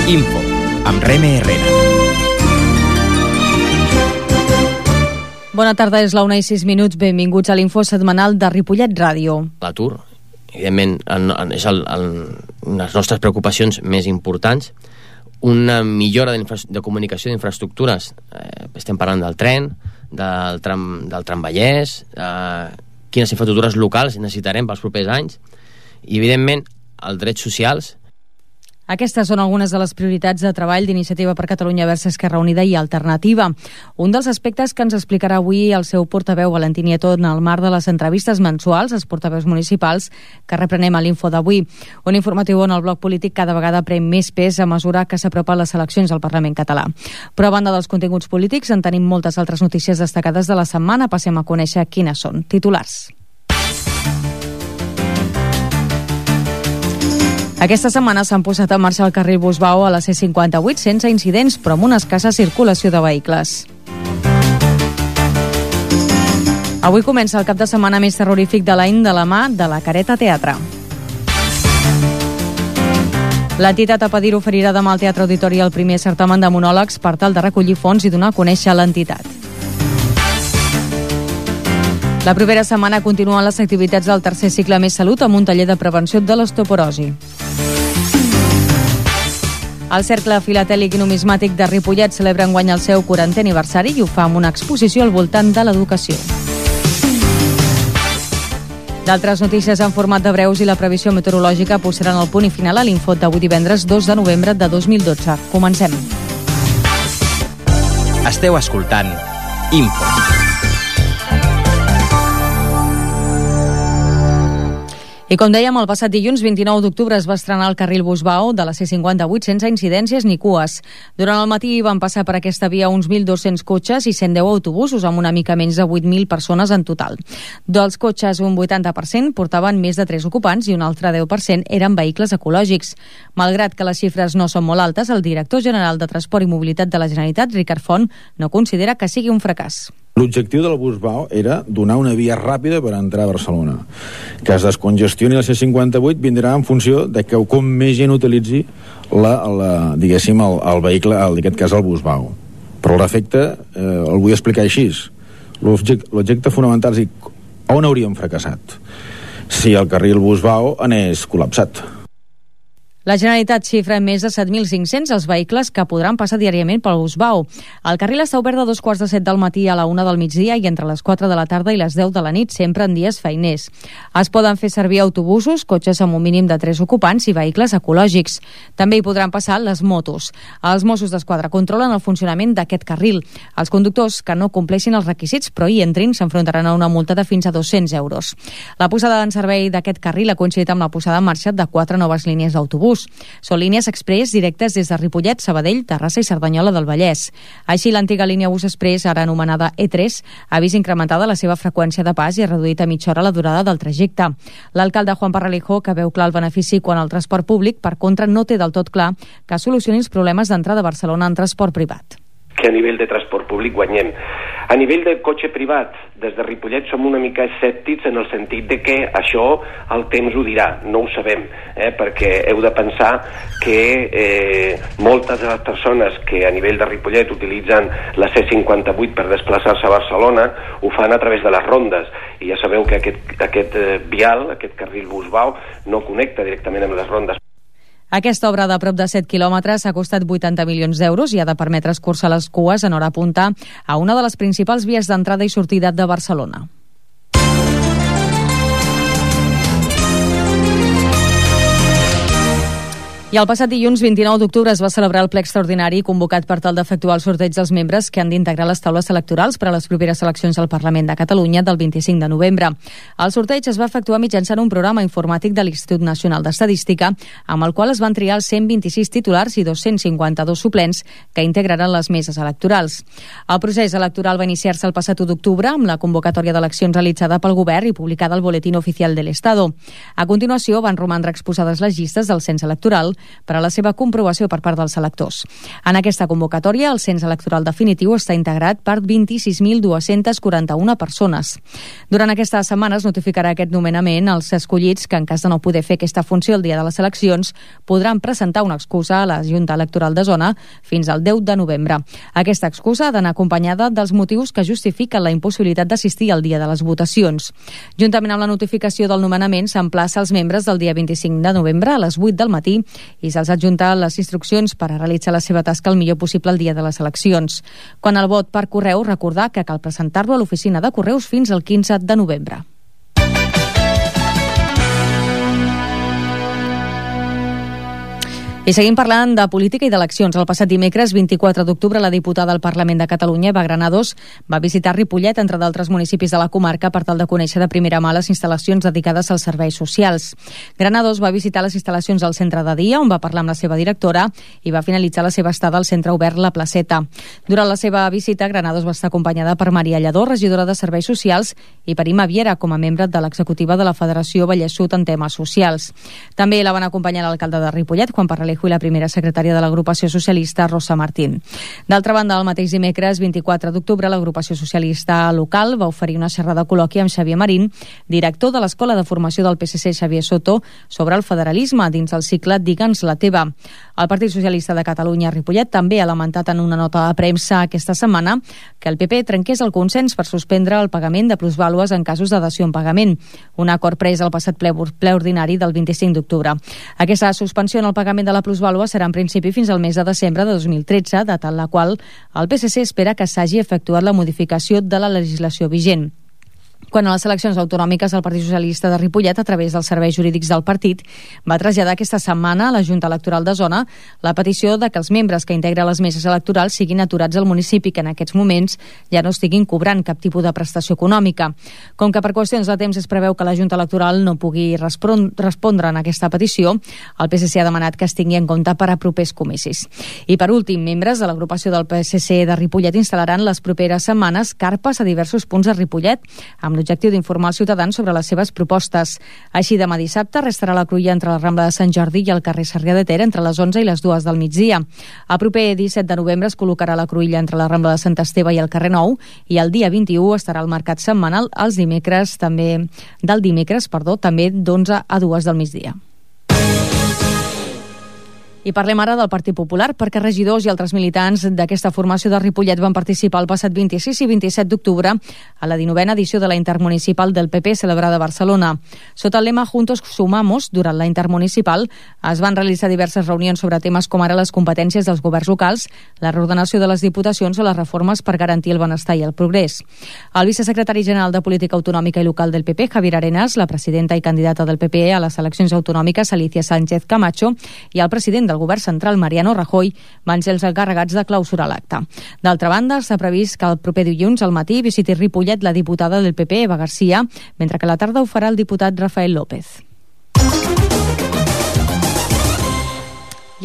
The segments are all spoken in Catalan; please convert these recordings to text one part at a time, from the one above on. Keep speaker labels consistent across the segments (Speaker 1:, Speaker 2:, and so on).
Speaker 1: Info, amb Reme Herrera.
Speaker 2: Bona tarda, és la 1:06. Benvinguts a l'Info setmanal de Ripollet Ràdio.
Speaker 3: L'atur, evidentment, és una de les nostres preocupacions més importants. Una millora de comunicació d'infraestructures. Estem parlant del tren, del tramvallès, quines infraestructures locals necessitarem pels propers anys. I, evidentment, els drets socials.
Speaker 2: Aquestes són algunes de les prioritats de treball d'Iniciativa per Catalunya Verds Esquerra Unida i Alternativa. Un dels aspectes que ens explicarà avui el seu portaveu Valentí Nieto en el marc de les entrevistes mensuals als portaveus municipals que reprenem a l'Info d'avui. Un informatiu on el bloc polític cada vegada pren més pes a mesura que s'apropen les eleccions al Parlament català. Però a banda dels continguts polítics en tenim moltes altres notícies destacades de la setmana. Passem a conèixer quines són. Titulars. Aquesta setmana s'han posat en marxa el carril Busbao a la C58 sense incidents, però amb una escassa circulació de vehicles. Avui comença el cap de setmana més terrorífic de l'any de la mà de la Careta Teatre. L'entitat Apadir oferirà demà al Teatre Auditori el primer certamen de monòlegs per tal de recollir fons i donar a conèixer l'entitat. La propera setmana continuen les activitats del tercer cicle Més Salut amb un taller de prevenció de l'osteoporosi. El Cercle Filatèlic i Numismàtic de Ripollet celebra enguany el seu 40è aniversari i ho fa amb una exposició al voltant de l'educació. D'altres notícies en format de breus i la previsió meteorològica posaran el punt i final a l'Info d'avui divendres 2 de novembre de 2012. Comencem.
Speaker 1: Esteu escoltant Info.
Speaker 2: I com dèiem, el passat dilluns 29 d'octubre es va estrenar el carril Busbao de la C58 sense incidències ni cues. Durant el matí van passar per aquesta via uns 1.200 cotxes i 110 autobusos amb una mica menys de 8.000 persones en total. Dels cotxes, un 80% portaven més de 3 ocupants i un altre 10% eren vehicles ecològics. Malgrat que les xifres no són molt altes, el director general de Transport i Mobilitat de la Generalitat, Ricard Font, no considera que sigui un fracàs.
Speaker 4: L'objectiu del Busbao era donar una via ràpida per entrar a Barcelona. Que es descongestioni la C58 vindrà en funció de que com més gent utilitzi diguéssim, el vehicle, en aquest cas el Busbao. Però l'efecte el vull explicar així. L'objecte fonamental és on hauríem fracassat si el carril Busbao anés col·lapsat.
Speaker 2: La Generalitat xifra en més de 7.500 els vehicles que podran passar diàriament pel Busbao. El carril està obert de 7:15 del matí a la 1 del migdia i entre les 4 de la tarda i les 10 de la nit, sempre en dies feiners. Es poden fer servir autobusos, cotxes amb un mínim de 3 ocupants i vehicles ecològics. També hi podran passar les motos. Els Mossos d'Esquadra controlen el funcionament d'aquest carril. Els conductors que no compleixin els requisits però hi entrin s'enfrontaran a una multa de fins a 200 euros. La posada en servei d'aquest carril ha coincidit amb la posada en marxa de 4 noves línies d'autobús. Són línies express directes des de Ripollet, Sabadell, Terrassa i Cerdanyola del Vallès. Així, l'antiga línia Bus Express, ara anomenada E3, ha vist incrementada la seva freqüència de pas i ha reduït a mitja hora la durada del trajecte. L'alcalde Juan Parralejo, que veu clar el benefici quan el transport públic, per contra, no té del tot clar que solucioni els problemes d'entrada a Barcelona en transport privat.
Speaker 5: Que a nivell de transport públic guanyem. A nivell de cotxe privat, des de Ripollet som una mica escèptics en el sentit de que això el temps ho dirà, no ho sabem, perquè heu de pensar que moltes de les persones que a nivell de Ripollet utilitzen la C58 per desplaçar-se a Barcelona ho fan a través de les rondes i ja sabeu que aquest vial, aquest carril Busbao, no connecta directament amb les rondes.
Speaker 2: Aquesta obra de prop de 7 quilòmetres ha costat 80 milions d'euros i ha de permetre escurçar les cues en hora punta a una de les principals vies d'entrada i sortida de Barcelona. I el passat dilluns 29 d'octubre es va celebrar el ple extraordinari convocat per tal d'efectuar el sorteig dels membres que han d'integrar les taules electorals per a les properes eleccions al Parlament de Catalunya del 25 de novembre. El sorteig es va efectuar mitjançant un programa informàtic de l'Institut Nacional d'Estadística amb el qual es van triar els 126 titulars i 252 suplents que integraran les meses electorals. El procés electoral va iniciar-se el passat 1 d'octubre amb la convocatòria d'eleccions realitzada pel Govern i publicada al Boletín Oficial del Estado. A continuació van romandre exposades les llistes del cens electoral per a la seva comprovació per part dels electors. En aquesta convocatòria, el cens electoral definitiu està integrat per 26.241 persones. Durant aquestes setmanes notificarà aquest nomenament als escollits que, en cas de no poder fer aquesta funció el dia de les eleccions, podran presentar una excusa a la Junta Electoral de Zona fins al 10 de novembre. Aquesta excusa ha d'anar acompanyada dels motius que justifiquen la impossibilitat d'assistir al dia de les votacions. Juntament amb la notificació del nomenament, s'emplaça als membres del dia 25 de novembre a les 8 del matí i se'ls adjunta les instruccions per a realitzar la seva tasca el millor possible el dia de les eleccions. Quan el vot per correu, recordar que cal presentar-lo a l'oficina de correus fins al 15 de novembre. I seguim parlant de política i d'eleccions. El passat dimecres, 24 d'octubre, la diputada al Parlament de Catalunya, Eva Granados, va visitar Ripollet, entre d'altres municipis de la comarca, per tal de conèixer de primera mà les instal·lacions dedicades als serveis socials. Granados va visitar les instal·lacions al centre de dia, on va parlar amb la seva directora, i va finalitzar la seva estada al centre obert La Placeta. Durant la seva visita, Granados va estar acompanyada per Maria Lledó, regidora de Serveis Socials, i per Ima Viera, com a membre de l'executiva de la Federació Vallès Sud en temes socials. També la van acompanyar l'alcalde de Ripollet, Juan Parralejo, i la primera secretària de l'agrupació socialista, Rosa Martín. D'altra banda, el mateix dimecres, 24 d'octubre, l'agrupació socialista local va oferir una xerrada col·loqui amb Xavier Marín, director de l'Escola de Formació del PSC Xavier Soto, sobre el federalisme dins el cicle Digue'ns la teva. El Partit Socialista de Catalunya Ripollet també ha lamentat en una nota de premsa aquesta setmana que el PP trenqués el consens per suspendre el pagament de plusvàlues en casos de dació en pagament, un acord pres al passat ple ordinari del 25 d'octubre. Aquesta suspensió en el pagament de la plusvàlua serà en principi fins al mes de desembre de 2013, data en la qual el PSC espera que s'hagi efectuat la modificació de la legislació vigent. Quan a les eleccions autonòmiques el Partit Socialista de Ripollet, a través dels serveis jurídics del partit, va traslladar aquesta setmana a la Junta Electoral de Zona la petició de que els membres que integren les meses electorals siguin aturats al municipi, que en aquests moments ja no estiguin cobrant cap tipus de prestació econòmica. Com que per qüestions de temps es preveu que la Junta Electoral no pugui respondre en aquesta petició, el PSC ha demanat que es tingui en compte per a propers comicis. I per últim, membres de l'agrupació del PSC de Ripollet instal·laran les properes setmanes carpes a diversos punts de Ripollet, amb l'objectiu d'informar els ciutadans sobre les seves propostes. Així, demà dissabte restarà la cruïlla entre la Rambla de Sant Jordi i el carrer Sarrià de Ter entre les 11 i les 2 del migdia. El proper 17 de novembre es col·locarà la cruïlla entre la Rambla de Sant Esteve i el carrer Nou, i el dia 21 estarà el mercat setmanal també d'11 a 2 del migdia. I parlem ara del Partit Popular, perquè regidors i altres militants d'aquesta formació de Ripollet van participar el passat 26 i 27 d'octubre a la 19a edició de la Intermunicipal del PP celebrada a Barcelona. Sota el lema Juntos Sumamos, durant la Intermunicipal es van realitzar diverses reunions sobre temes com ara les competències dels governs locals, la reordenació de les diputacions o les reformes per garantir el benestar i el progrés. El vicesecretari general de Política Autonòmica i Local del PP, Javier Arenas, la presidenta i candidata del PP a les eleccions autonòmiques, Alicia Sánchez Camacho, i el president del Govern Central, Mariano Rajoy, van ser els encarregats de clausurar l'acte. D'altra banda, s'ha previst que el proper dilluns al matí visiti Ripollet la diputada del PP, Eva García, mentre que a la tarda ho farà el diputat Rafael López.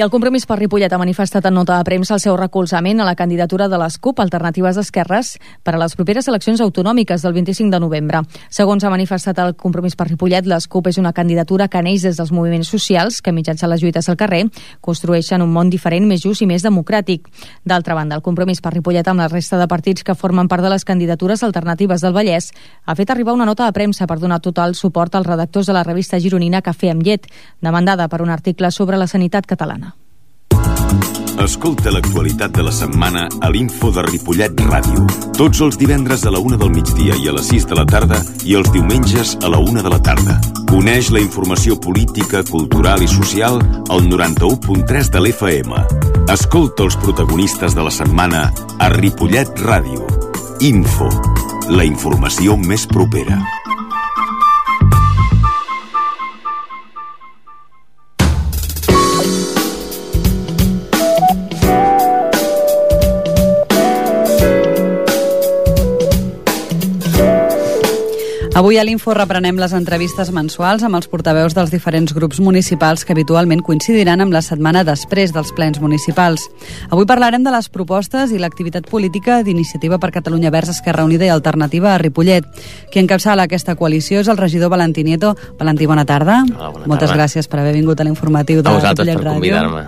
Speaker 2: I el Compromís per Ripollet ha manifestat en nota de premsa el seu recolzament a la candidatura de les CUP Alternatives d'Esquerres per a les properes eleccions autonòmiques del 25 de novembre. Segons ha manifestat el Compromís per Ripollet, les CUP és una candidatura que neix des dels moviments socials que, mitjançant les lluites al carrer, construeixen un món diferent, més just i més democràtic. D'altra banda, el Compromís per Ripollet, amb la resta de partits que formen part de les candidatures alternatives del Vallès, ha fet arribar una nota de premsa per donar total suport als redactors de la revista gironina Cafè amb llet, demandada per un article sobre la sanitat catalana.
Speaker 6: Escolta l'actualitat de la setmana a l'Info de Ripollet Ràdio. Tots els divendres a la 1 del migdia i a les 6 de la tarda i els diumenges a la 1 de la tarda. Coneix la informació política, cultural i social al 91.3 de l'FM. Escolta els protagonistes de la setmana a Ripollet Ràdio. Info, la informació més propera.
Speaker 2: Avui
Speaker 7: Avui a l'Info reprenem les entrevistes mensuals amb els portaveus dels diferents grups municipals que habitualment coincidiran amb la setmana després dels plens municipals. Avui parlarem de les propostes i l'activitat política d'Iniciativa per Catalunya Verds, Esquerra Unida i Alternativa a Ripollet. Qui encapçala aquesta coalició és el regidor Valentí Nieto. Valentí, bona tarda.
Speaker 3: Hola, bona tarda.
Speaker 7: Moltes gràcies per haver vingut a l'informatiu de Ripollet Ràdio.
Speaker 3: Per convidar-me.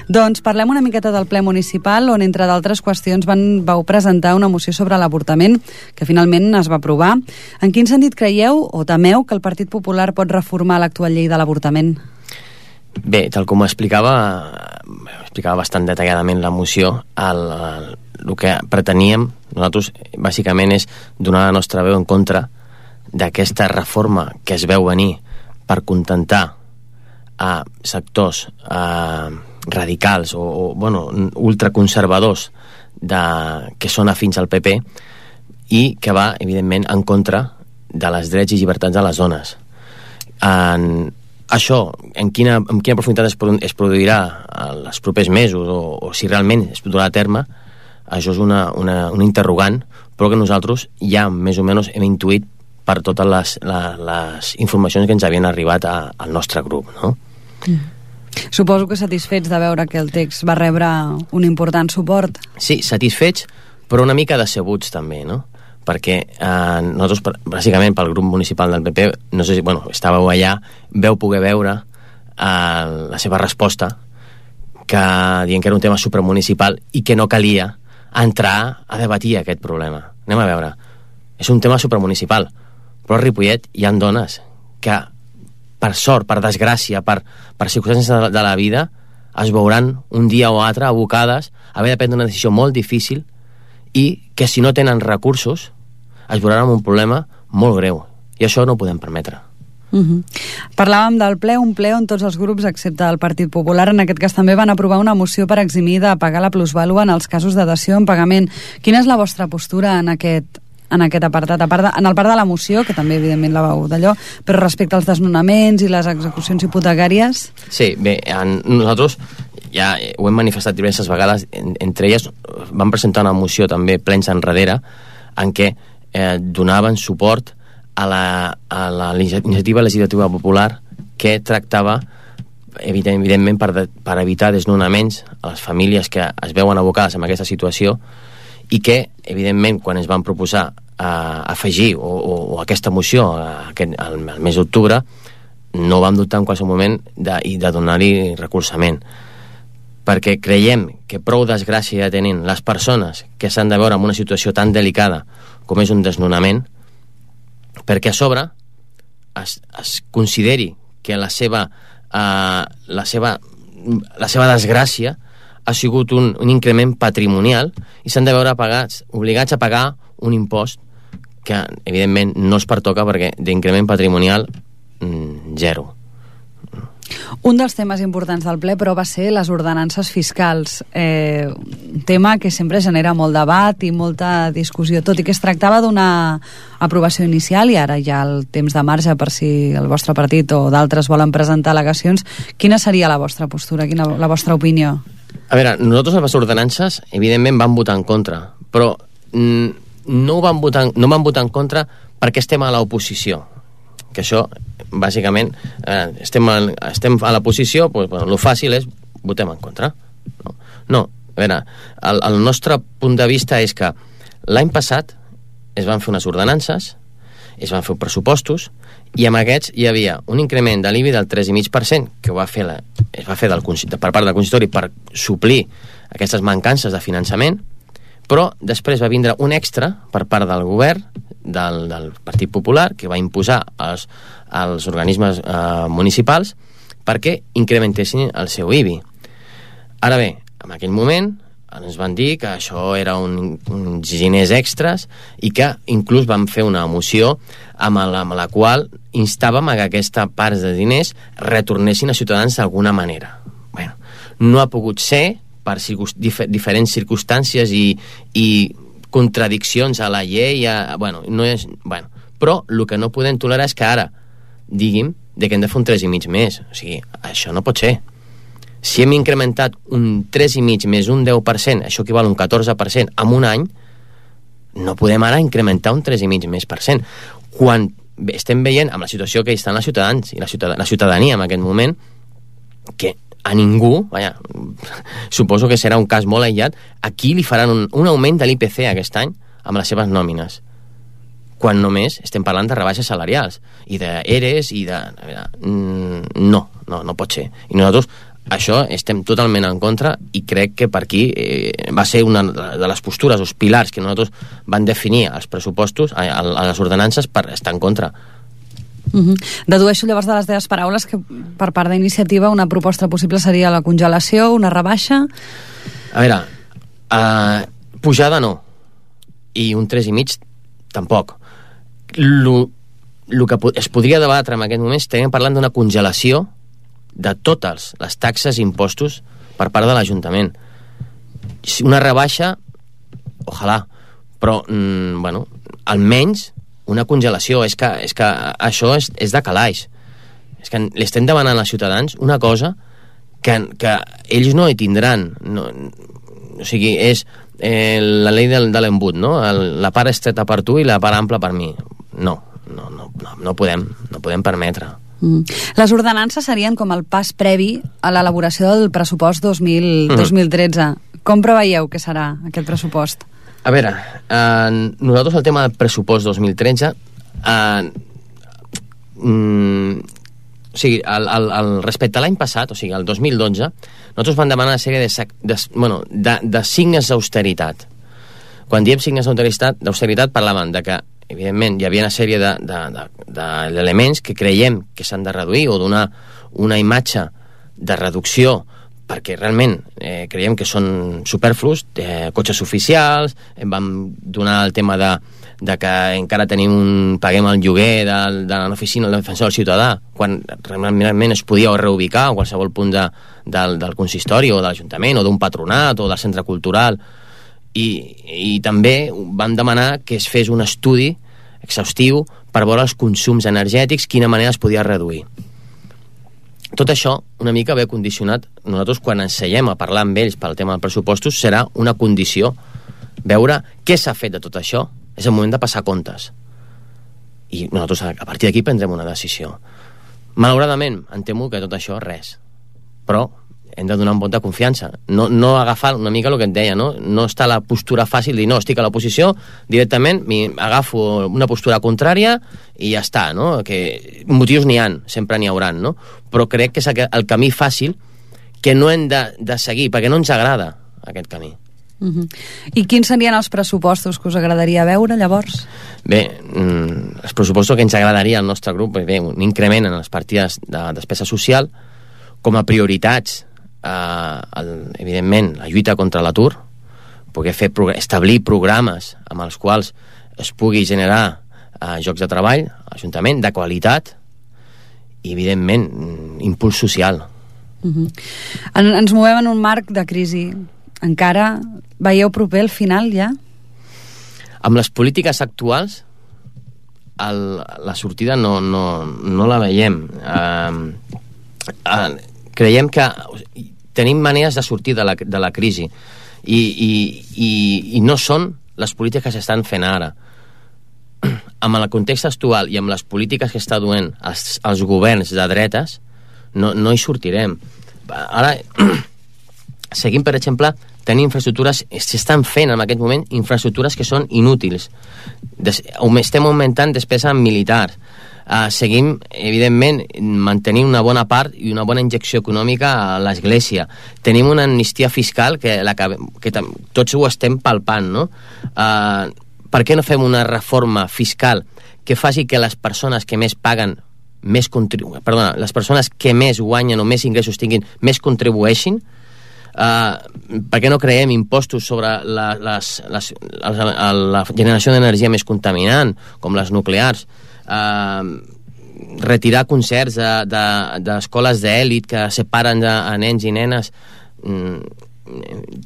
Speaker 7: Doncs parlem una miqueta del ple municipal, on entre d'altres qüestions vau presentar una moció sobre l'avortament que finalment es va aprovar. En quin sentit creieu o temeu que el Partit Popular pot reformar l'actual llei de l'avortament?
Speaker 3: Bé, tal com explicava bastant detalladament la moció, el que preteníem nosaltres bàsicament és donar la nostra veu en contra d'aquesta reforma que es veu venir per contentar a sectors radicals o ultraconservadors que són afins al PP i que va, evidentment, en contra de les drets i llibertats de les dones. Això, en quina profunditat es produirà en els propers mesos o si realment es durà a terme, això és una interrogant, però que nosaltres ja més o menys hem intuït per totes les informacions que ens havien arribat al nostre grup, no?
Speaker 7: Suposo que satisfets de veure que el text va rebre un important suport.
Speaker 3: Sí, satisfets, però una mica decebuts també, no? Perquè nosaltres, bàsicament pel grup municipal del PP, no sé si, estàveu allà, veu poder veure la seva resposta, dient que era un tema supramunicipal i que no calia entrar a debatir aquest problema. Anem a veure, és un tema supramunicipal, però a Ripollet hi ha dones que, per sort, per desgràcia, per circumstàncies de la vida, es veuran un dia o altre abocades a haver de prendre una decisió molt difícil i que si no tenen recursos es veuran amb un problema molt greu. I això no ho podem permetre.
Speaker 7: Parlàvem del ple, un ple on tots els grups, excepte el Partit Popular, en aquest cas també van aprovar una moció per eximir de pagar la plusvàlua en els casos de dació en pagament. Quina és la vostra postura en aquest apartat, en el part de la moció, que també evidentment la vau d'allò, però respecte als desnonaments i les execucions hipotecàries?
Speaker 3: Sí, bé, nosaltres ja ho hem manifestat diverses vegades, entre elles vam presentar una moció també plens enrere en què donaven suport a la iniciativa legislativa popular que tractava evidentment per evitar desnonaments a les famílies que es veuen abocades en aquesta situació i que, evidentment, quan es van proposar afegir o aquesta moció al mes d'octubre, no vam dubtar en qualsevol moment de donar-hi recolzament, perquè creiem que prou desgràcia ja tenen les persones que s'han de veure en una situació tan delicada com és un desnonament, perquè a sobre es consideri que la seva desgràcia ha sigut un increment patrimonial i s'han de veure obligats a pagar un impost que, evidentment, no es pertoca perquè d'increment patrimonial, zero.
Speaker 7: Un dels temes importants del ple, però, va ser les ordenances fiscals. Un tema que sempre genera molt debat i molta discussió, tot i que es tractava d'una aprovació inicial i ara hi ha el temps de marge per si el vostre partit o d'altres volen presentar al·legacions. Quina seria la vostra postura, la vostra opinió?
Speaker 3: A veure, nosaltres a les ordenances, evidentment, vam votar en contra, però no van votar en contra perquè estem a l'oposició, que això, bàsicament, estem a l'oposició, el fàcil és votem en contra. No, a veure, el nostre punt de vista és que l'any passat es van fer unes ordenances, es van fer pressupostos, i amb aquests hi havia un increment de l'IBI del 3,5% que es va fer per part del consistori per suplir aquestes mancances de finançament, però després va vindre un extra per part del govern del Partit Popular que va imposar als organismes municipals perquè incrementessin el seu IBI. Ara bé, en aquell moment ens van dir que això era uns diners extras i que inclús vam fer una moció amb la qual instàvem a que aquesta part de diners retornessin a ciutadans d'alguna manera. Bueno, no ha pogut ser per diferents circumstàncies i contradiccions a la llei, però el que no podem tolerar és que ara diguin que hem de fer un 3,5 més. O sigui, això no pot ser. Si hem incrementat un 3,5 més un 10%, això equival a un 14% en un any, no podem ara incrementar un 3,5 més %. Quan estem veient amb la situació que estan els ciutadans i la ciutadania en aquest moment, que a ningú, suposo que serà un cas molt aïllat, aquí li faran un augment de l'IPC aquest any amb les seves nòmines, quan només estem parlant de rebaixes salarials i d'ERES i de... No pot ser. I nosaltres això estem totalment en contra i crec que per aquí va ser una de les postures, els pilars que nosaltres van definir als pressupostos, a les ordenances, per estar en contra.
Speaker 7: Dedueixo llavors de les teves paraules que per part d'Iniciativa una proposta possible seria la congelació, una rebaixa?
Speaker 3: A veure, pujada no, i un 3,5 tampoc. El que es podria debatre en aquest moment estem parlant d'una congelació de totes les taxes i impostos per part de l'Ajuntament. Una rebaixa, ojalà, però, almenys una congelació. És que això és de calaix. És que li estem demanant als ciutadans una cosa que ells no hi tindran. O sigui, és la llei de l'embut, no? La part estreta per tu i la part ampla per mi. No podem permetre.
Speaker 7: Les ordenances serien com el pas previ a l'elaboració del pressupost 2013. Com preveieu que serà aquest pressupost?
Speaker 3: A veure, nosaltres el tema del pressupost 2013 respecte a l'any passat, o sigui, el 2012, nosaltres vam demanar una sèrie de signes d'austeritat. Quan diem signes d'austeritat parlaven de que, evidentment, hi havia una sèrie d'elements que creiem que s'han de reduir o donar una imatge de reducció perquè realment creiem que són superflus, cotxes oficials, vam donar el tema de que encara paguem el lloguer de l'oficina del defensor del ciutadà, quan realment es podia reubicar a qualsevol punt del consistori o de l'Ajuntament o d'un patronat o del centre cultural. I també vam demanar que es fes un estudi exhaustiu per veure els consums energètics, quina manera es podia reduir. Tot això una mica ve condicionat. Nosaltres, quan ens seiem a parlar amb ells pel tema dels pressupostos, serà una condició veure què s'ha fet de tot això. És el moment de passar comptes. I nosaltres, a partir d'aquí, prendrem una decisió. Malauradament, em temo que tot això res. Però hem de donar un vot de confiança. No agafar una mica el que et deia, no? No està la postura fàcil de dir, no, estic a l'oposició, directament agafo una postura contrària i ja està, no? Que motius n'hi ha, sempre n'hi hauran, no? Però crec que és el camí fàcil que no hem de seguir, perquè no ens agrada aquest camí.
Speaker 7: I quins serien els pressupostos que us agradaria veure, llavors?
Speaker 3: Bé, els pressupostos que ens agradaria al nostre grup, bé, un increment en les partides de despesa social, com a prioritats, evidentment, la lluita contra l'atur, poder establir programes amb els quals es pugui generar llocs de treball a l'Ajuntament, de qualitat, i, evidentment, impuls social.
Speaker 7: Ens movem en un marc de crisi. Encara veieu proper el final, ja?
Speaker 3: Amb les polítiques actuals, la sortida no la veiem. Creiem que tenim maneres de sortir de la crisi i no són les polítiques que s'estan fent ara. Amb el context actual i amb les polítiques que està duent els governs de dretes, no hi sortirem. Ara seguim, per exemple, tenint infraestructures, s'estan fent en aquest moment infraestructures que són inútils. Estem augmentant despesa en militars. Seguim, evidentment, mantenint una bona part i una bona injecció econòmica a l'Església. Tenim una amnistia fiscal que tots ho estem palpant, no? Per què no fem una reforma fiscal que faci que les persones que més paguen les persones que més guanyen o més ingressos tinguin més contribueixin? Per què no creem impostos sobre la generació d'energia més contaminant, com les nuclears? Retirar concerts d'escoles d'èlit que separen a nens i nenes.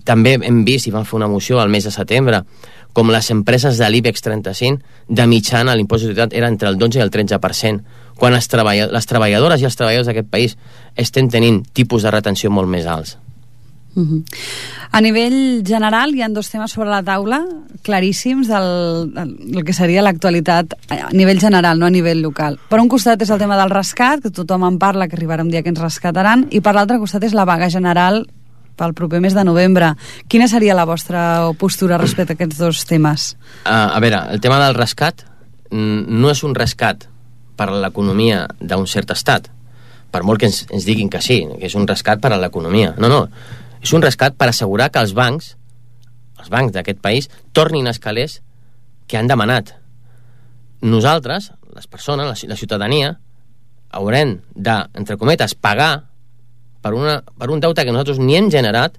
Speaker 3: També hem vist, i vam fer una moció al mes de setembre, com les empreses de l'IBEX 35 de mitjana l'impost de societat era entre el 12 i el 13%, quan les treballadores i els treballadors d'aquest país estem tenint tipus de retenció molt més alts.
Speaker 7: A nivell general hi ha dos temes sobre la taula claríssims del que seria l'actualitat a nivell general, no a nivell local. Per un costat és el tema del rescat, que tothom en parla, que arribarà un dia que ens rescataran, i per l'altre costat és la vaga general pel proper mes de novembre. Quina seria la vostra postura respecte a aquests dos temes?
Speaker 3: A veure, el tema del rescat no és un rescat per a l'economia d'un cert estat, per molt que ens diguin que sí, que és un rescat per a l'economia. No, és un rescat per assegurar que els bancs d'aquest país tornin els calés que han demanat. Nosaltres, les persones, la ciutadania, haurem de, entre cometes, pagar per un deute que nosaltres ni hem generat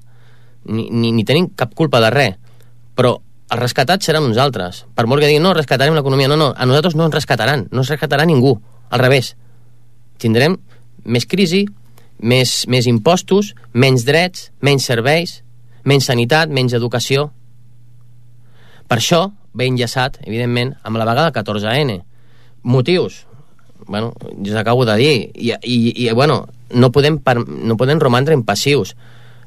Speaker 3: ni tenim cap culpa de res, però els rescatats seran nosaltres. Per molt que diguin, no, rescatarem l'economia, no, a nosaltres no ens rescatarà ningú, al revés. Tindrem més crisi, més impostos, menys drets, menys serveis, menys sanitat, menys educació. Per això ve enllaçat, evidentment, amb la vaga del 14N. Motius? Bueno, jo acabo de dir. I no podem romandre impassius.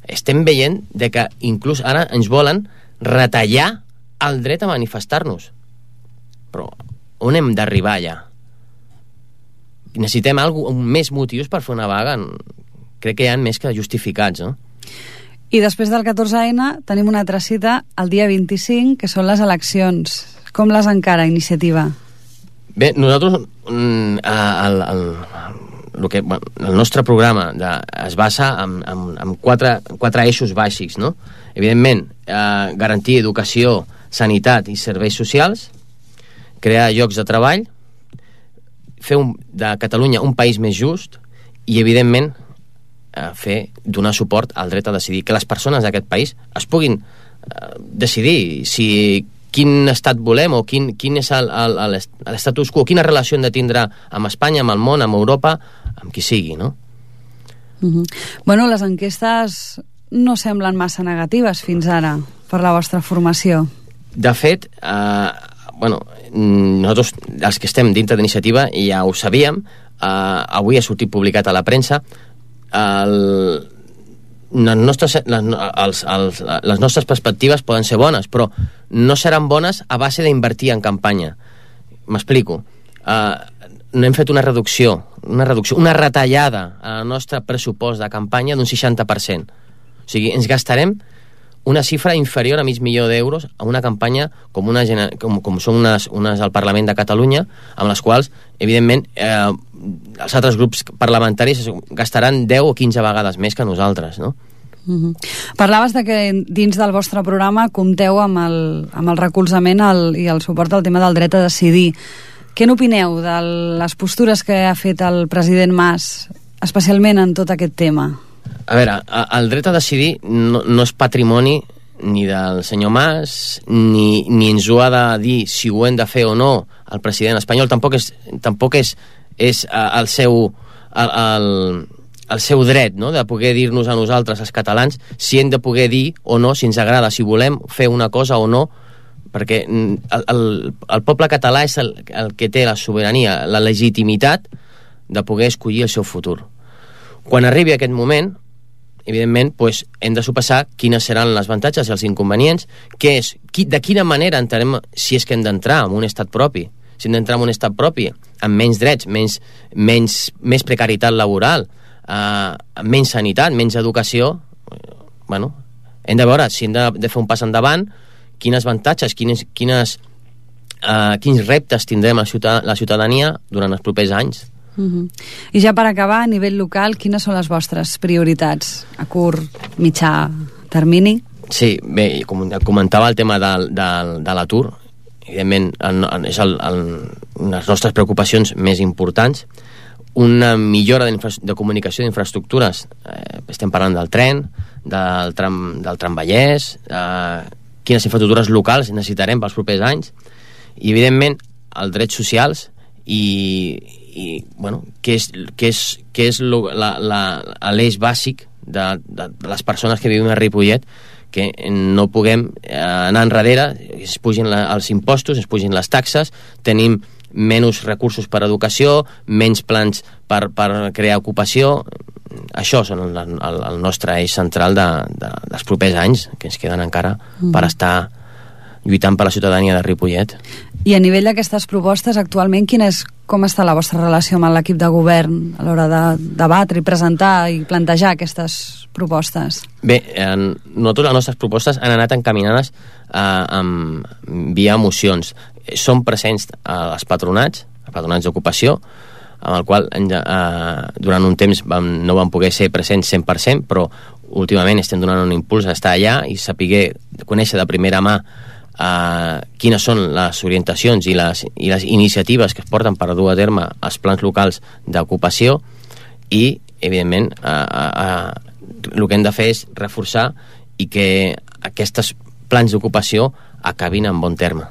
Speaker 3: Estem veient que inclús ara ens volen retallar el dret a manifestar-nos. Però on hem d'arribar ja? Necessitem més motius per fer una vaga. Crec que hi ha més que justificats, no?
Speaker 7: I després del 14N tenim una altra cita el dia 25, que són les eleccions. Com les encara, Iniciativa?
Speaker 3: Bé, nosaltres el nostre programa es basa en quatre eixos bàsics, no? Evidentment, garantir educació, sanitat i serveis socials, crear llocs de treball, fer de Catalunya un país més just i, evidentment, donar suport al dret a decidir, que les persones d'aquest país es puguin decidir quin estat volem o quin és l'estatus quo, quina relació hem de tindre amb Espanya, amb el món, amb Europa, amb qui sigui, no?
Speaker 7: Bueno, les enquestes no semblen massa negatives fins ara per la vostra formació.
Speaker 3: De fet, nosaltres, els que estem dintre d'Iniciativa, ja ho sabíem, avui ha sortit publicat a la premsa, les nostres perspectives poden ser bones, però no seran bones a base d'invertir en campanya. M'explico. No hem fet una reducció, una retallada al nostre pressupost de campanya d'un 60%. O sigui, ens gastarem una xifra inferior a $500,000 a una campanya com són unes al Parlament de Catalunya, amb les quals, evidentment, els altres grups parlamentaris gastaran 10 o 15 vegades més que nosaltres, no?
Speaker 7: Parlaves de que dins del vostre programa compteu amb el recolzament i el suport al tema del dret a decidir. Què n'opineu de les postures que ha fet el president Mas, especialment en tot aquest tema?
Speaker 3: A veure, el dret a decidir no és patrimoni ni del senyor Mas, ni ens ho ha de dir si ho hem de fer o no el president espanyol. Tampoc és el seu dret, no?, de poder dir-nos a nosaltres, els catalans, si hem de poder dir o no, si ens agrada, si volem fer una cosa o no, perquè el poble català és el que té la sobirania, la legitimitat de poder escollir el seu futur. Quan arribi aquest moment, evidentment, hem de sopassar quines seran les avantatges i els inconvenients, de quina manera entrarem, si és que hem d'entrar en un estat propi. Si hem d'entrar en un estat propi, amb menys drets, més precarietat laboral, menys sanitat, menys educació, hem de veure si hem de fer un pas endavant, quines avantatges, quins reptes tindrem la ciutadania durant els propers anys.
Speaker 7: I ja per acabar, a nivell local, quines són les vostres prioritats a curt, mitjà termini? Sí,
Speaker 3: bé, comentava el tema de l'atur. Evidentment, és les nostres preocupacions més importants. Una millora de comunicació d'infraestructures. Estem parlant del tren, del tramvallès, quines infraestructures locals necessitarem pels propers anys, i, evidentment, els drets socials i què és l'eix bàsic de les persones que vivim a Ripollet, que no puguem anar enrere, es pugin els impostos, es pugin les taxes, tenim menys recursos per a educació, menys plans per crear ocupació. això són el nostre eix central dels propers anys, que ens queden encara per estar lluitant per la ciutadania de Ripollet.
Speaker 7: I a nivell d'aquestes propostes, actualment, com està la vostra relació amb l'equip de govern a l'hora de debatre i presentar i plantejar aquestes propostes?
Speaker 3: Bé, nosaltres les nostres propostes han anat encaminades via mocions. Som presents als patronats d'ocupació, amb el qual durant un temps no vam poder ser presents 100%, però últimament estem donant un impuls a estar allà i saber conèixer de primera mà quines són les orientacions i les iniciatives que es porten per dur a terme els plans locals d'ocupació i, evidentment, el que hem de fer és reforçar i que aquests plans d'ocupació acabin en bon terme.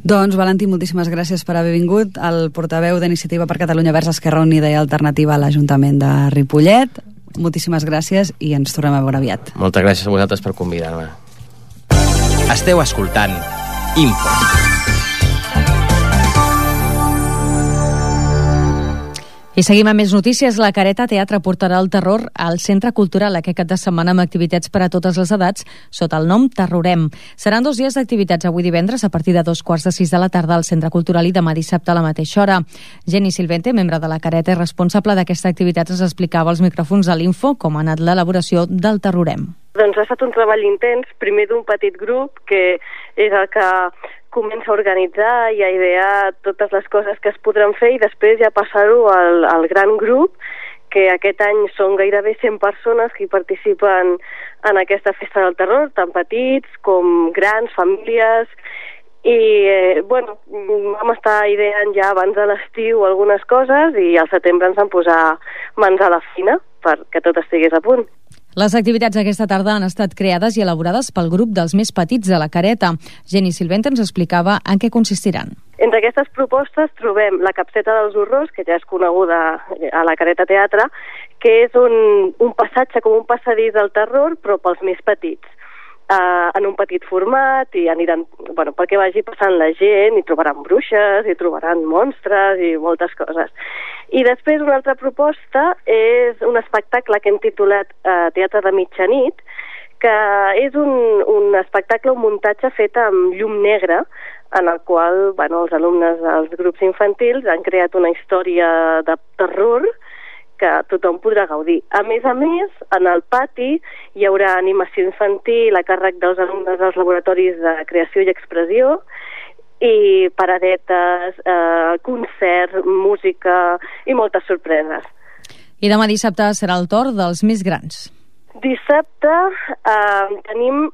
Speaker 7: Doncs, Valentí, moltíssimes gràcies per haver vingut. El portaveu d'Iniciativa per Catalunya Verds Esquerra Unida i Alternativa a l'Ajuntament de Ripollet. Moltíssimes gràcies i ens tornem a veure aviat.
Speaker 3: Moltes gràcies a vosaltres per convidar-me.
Speaker 1: Esteu escoltant Info.
Speaker 2: I seguim amb més notícies. La Careta Teatre portarà el terror al Centre Cultural aquest cap de setmana amb activitats per a totes les edats sota el nom Terrorem. Seran 2 dies d'activitats avui divendres a partir de 5:15 de la tarda al Centre Cultural i demà dissabte a la mateixa hora. Jenny Silvente, membre de la Careta i responsable d'aquesta activitat, ens explicava als micròfons de l'Info com ha anat l'elaboració del Terrorem.
Speaker 8: Doncs ha estat un treball intens, primer d'un petit grup que és el que comença a organitzar i a idear totes les coses que es podran fer i després ja passar-ho al gran grup, que aquest any són gairebé 100 persones que participen en aquesta festa del terror, tant petits com grans, famílies, i vam estar ideant ja abans de l'estiu algunes coses i al setembre ens vam posar mans a la feina perquè tot estigués a punt.
Speaker 2: Les activitats d'aquesta tarda han estat creades i elaborades pel grup dels més petits de la Careta. Jenny Silvente ens explicava en què consistiran.
Speaker 8: Entre aquestes propostes trobem la capseta dels horrors, que ja és coneguda a la Careta Teatre, que és un passatge com un passadís del terror, però pels més petits. En un petit format i aniran, perquè vagi passant la gent i trobaran bruixes i trobaran monstres i moltes coses. I després una altra proposta és un espectacle que hem titulat Teatre de mitjanit, que és un espectacle, un muntatge fet amb llum negra, en el qual els alumnes dels grups infantils han creat una història de terror que tothom podrà gaudir. A més, en el pati hi haurà animació infantil a càrrec dels alumnes dels laboratoris de creació i expressió i paradetes, concert, música i moltes sorpreses.
Speaker 2: I demà dissabte serà el torn dels més grans.
Speaker 8: Dissabte tenim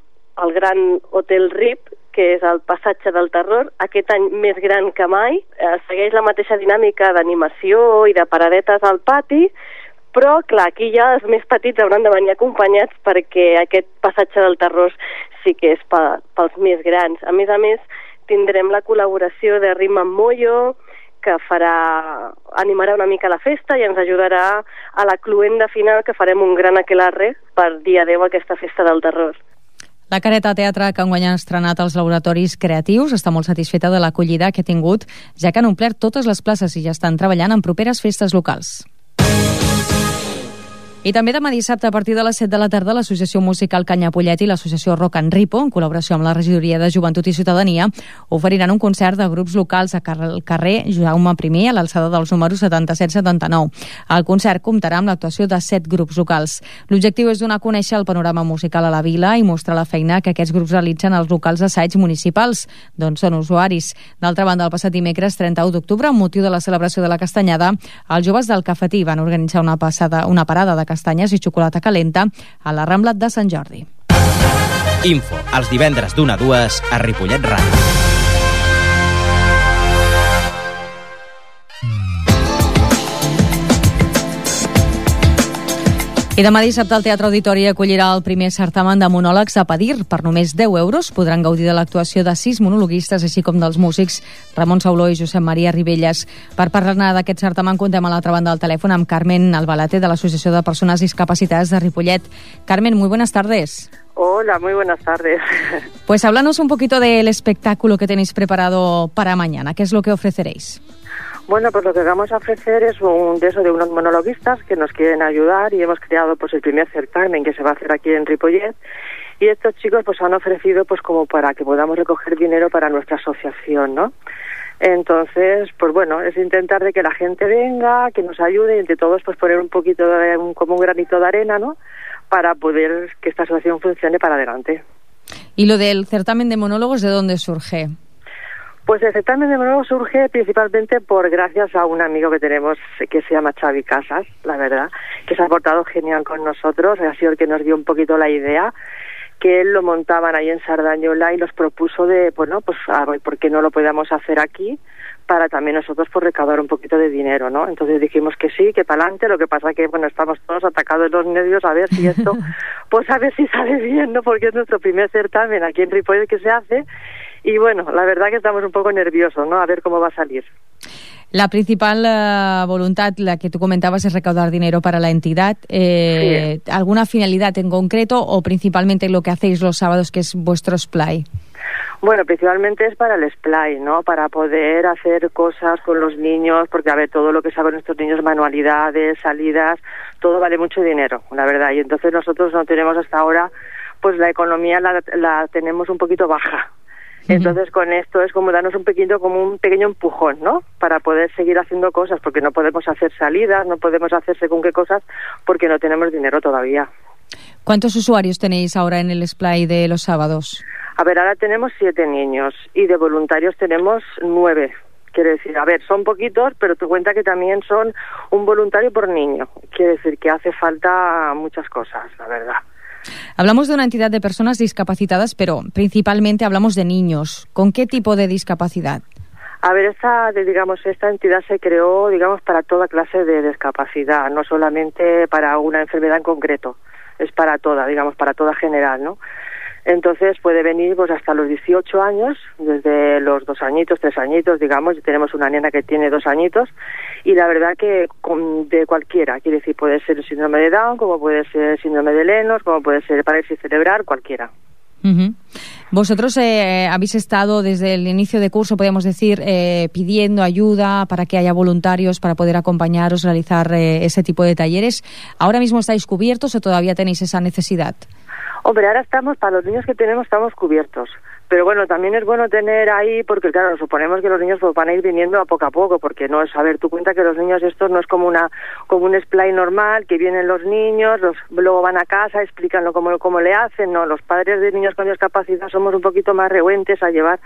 Speaker 8: el Gran Hotel Rip, que és el passatge del terror, aquest any més gran que mai. Segueix la mateixa dinàmica d'animació i de paradetes al pati, però, clar, aquí ja els més petits hauran de venir acompanyats perquè aquest passatge del terror sí que és pels més grans. A més, tindrem la col·laboració de Rima Moyo, que animarà una mica la festa i ens ajudarà a la cluenda final, que farem un gran aquelarre per dia 10 aquesta festa del terror.
Speaker 2: La Careta Teatre, que enguany ha estrenat els laboratoris creatius, està molt satisfeta de l'acollida que ha tingut, ja que han omplert totes les places i ja estan treballant en properes festes locals. I també demà dissabte, a partir de les 7 de la tarda, l'Associació Musical Canyapollet i l'Associació Rock en Ripo, en col·laboració amb la Regidoria de Joventut i Ciutadania, oferiran un concert de grups locals al carrer Jaume I, a l'alçada dels números 77-79. El concert comptarà amb l'actuació de 7 grups locals. L'objectiu és donar a conèixer el panorama musical a la vila i mostrar la feina que aquests grups realitzen als locals assaigs municipals, d'on són usuaris. D'altra banda, el passat dimecres 31 d'octubre, amb motiu de la celebració de la Castanyada, els joves del Cafetí van organitzar una parada de castanyes i xocolata calenta a la Rambla de Sant Jordi.
Speaker 1: Info, els divendres d'1 a 2 a Ripollet Ràdio.
Speaker 2: I demà dissabte el Teatre Auditori acollirà el primer certamen de monòlegs a Padir. Per només 10 euros podran gaudir de l'actuació de 6 monologuistes, així com dels músics Ramon Sauló i Josep Maria Ribelles. Per parlar-ne d'aquest certamen contem a l'altra banda del telèfon amb Carmen Albalate, de l'Associació de Personas Discapacitadas de Ripollet. Carmen, muy buenas tardes.
Speaker 8: Hola, muy buenas tardes.
Speaker 2: Pues háblanos un poquito del espectáculo que tenéis preparado para mañana. ¿Qué es lo que ofreceréis?
Speaker 9: Bueno, pues lo que vamos a ofrecer es de unos monologuistas que nos quieren ayudar y hemos creado pues el primer certamen que se va a hacer aquí en Ripollet y estos chicos pues han ofrecido pues como para que podamos recoger dinero para nuestra asociación, ¿no? Entonces, pues bueno, es intentar de que la gente venga, que nos ayude y entre todos pues poner un poquito como un granito de arena, ¿no? Para poder que esta asociación funcione para adelante.
Speaker 2: ¿Y lo del certamen de monólogos de dónde surge?
Speaker 9: Pues el certamen de monólogos surge principalmente gracias a un amigo que tenemos que se llama Xavi Casas, la verdad, que se ha portado genial con nosotros, ha sido el que nos dio un poquito la idea, que él lo montaban ahí en Sardañola y nos propuso a ver por qué no lo podíamos hacer aquí para también nosotros pues recaudar un poquito de dinero, ¿no? Entonces dijimos que sí, que para adelante, lo que pasa que bueno, estamos todos atacados de los nervios a ver si esto, pues a ver si sale bien, ¿no? Porque es nuestro primer certamen aquí en Ripollet que se hace. Y bueno, la verdad que estamos un poco nerviosos, ¿no? A ver cómo va a salir.
Speaker 2: La principal voluntad, la que tú comentabas, es recaudar dinero para la entidad.
Speaker 9: Sí.
Speaker 2: ¿Alguna finalidad en concreto o principalmente lo que hacéis los sábados, que es vuestro splay?
Speaker 9: Bueno, principalmente es para el splay, ¿no? Para poder hacer cosas con los niños, porque a ver, todo lo que saben nuestros niños, manualidades, salidas, todo vale mucho dinero, la verdad. Y entonces nosotros no tenemos hasta ahora, pues la economía la tenemos un poquito baja. Entonces con esto es como darnos un pequeño empujón, ¿no? Para poder seguir haciendo cosas, porque no podemos hacer salidas, no podemos hacer según qué cosas, porque no tenemos dinero todavía.
Speaker 2: ¿Cuántos usuarios tenéis ahora en el splay de los sábados?
Speaker 9: A ver, ahora tenemos 7 niños y de voluntarios tenemos 9. Quiere decir, a ver, son poquitos, pero tú cuenta que también son un voluntario por niño. Quiere decir que hace falta muchas cosas, la verdad.
Speaker 2: Hablamos de una entidad de personas discapacitadas, pero principalmente hablamos de niños. ¿Con qué tipo de discapacidad?
Speaker 9: A ver, esta entidad se creó, para toda clase de discapacidad, no solamente para una enfermedad en concreto, es para toda, para toda general, ¿no? Entonces puede venir pues hasta los 18 años, desde los 2 añitos, 3 añitos, tenemos una nena que tiene 2 añitos, y la verdad que de cualquiera, quiere decir, puede ser el síndrome de Down, como puede ser el síndrome de Lennox, como puede ser parálisis cerebral, cualquiera.
Speaker 2: Uh-huh. Vosotros habéis estado desde el inicio de curso, podríamos decir, pidiendo ayuda para que haya voluntarios para poder acompañaros, realizar ese tipo de talleres. ¿Ahora mismo estáis cubiertos o todavía tenéis esa necesidad?
Speaker 9: Hombre, ahora para los niños que tenemos estamos cubiertos. Pero bueno, también es bueno tener ahí, porque claro, suponemos que los niños pues van a ir viniendo a poco, porque no es, a ver, tú cuenta que los niños estos no es como un splay normal, que vienen los niños, luego van a casa, explican cómo le hacen, no, los padres de niños con discapacidad somos un poquito más renuentes a llevar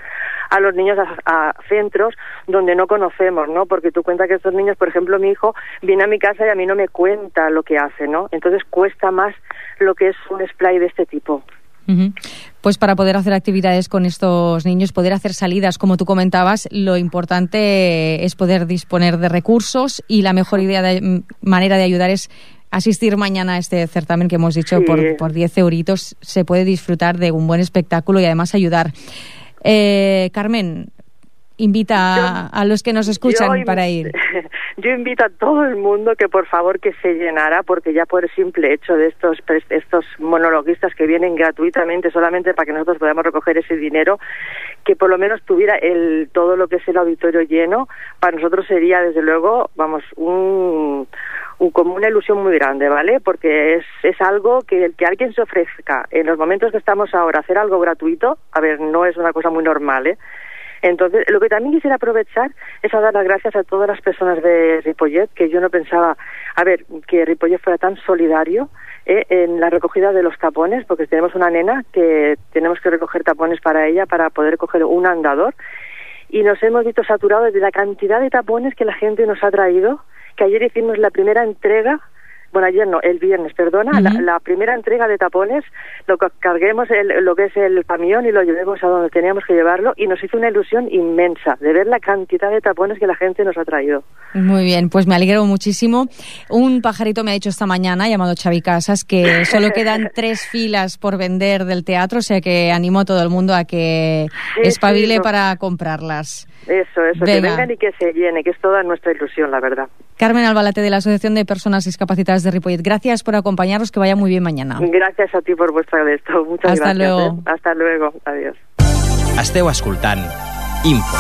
Speaker 9: a los niños a centros donde no conocemos, ¿no? Porque tú cuenta que estos niños, por ejemplo, mi hijo viene a mi casa y a mí no me cuenta lo que hace, ¿no? Entonces cuesta más lo que es un splay de este tipo.
Speaker 2: Uh-huh. Pues para poder hacer actividades con estos niños, poder hacer salidas, como tú comentabas, lo importante es poder disponer de recursos y la mejor manera de ayudar es asistir mañana a este certamen que hemos dicho. Sí. Por 10 euritos se puede disfrutar de un buen espectáculo y además ayudar. Carmen, invita a los que nos escuchan para ir.
Speaker 9: Yo invito a todo el mundo que por favor que se llenara, porque ya por el simple hecho de estos monologuistas que vienen gratuitamente solamente para que nosotros podamos recoger ese dinero, que por lo menos tuviera todo lo que es el auditorio lleno, para nosotros sería desde luego, como una ilusión muy grande, ¿vale? Porque es algo que alguien se ofrezca en los momentos que estamos ahora, hacer algo gratuito, a ver, no es una cosa muy normal, ¿eh? Entonces, lo que también quisiera aprovechar es a dar las gracias a todas las personas de Ripollet, que yo no pensaba, que Ripollet fuera tan solidario en la recogida de los tapones, porque tenemos una nena que tenemos que recoger tapones para ella para poder coger un andador, y nos hemos visto saturados de la cantidad de tapones que la gente nos ha traído, que ayer hicimos la primera entrega, el viernes, la primera entrega de tapones, lo que carguemos lo que es el camión y lo llevemos a donde teníamos que llevarlo, y nos hizo una ilusión inmensa de ver la cantidad de tapones que la gente nos ha traído.
Speaker 2: Muy bien, pues me alegro muchísimo. Un pajarito me ha dicho esta mañana, llamado Xavi Casas, que solo quedan 3 filas por vender del teatro, o sea que animo a todo el mundo a que espabile para comprarlas.
Speaker 9: Eso, venga. Que vengan y que se llene, que es toda nuestra ilusión, la verdad.
Speaker 2: Carmen Albalate, de la Asociación de Personas Discapacitadas de Ripollet, gracias por acompañarnos, que vaya muy bien mañana.
Speaker 9: Gracias a ti por vuestra gesto. Muchas gracias.
Speaker 2: Luego.
Speaker 9: Hasta luego. Adiós.
Speaker 1: Esteu escoltant Info.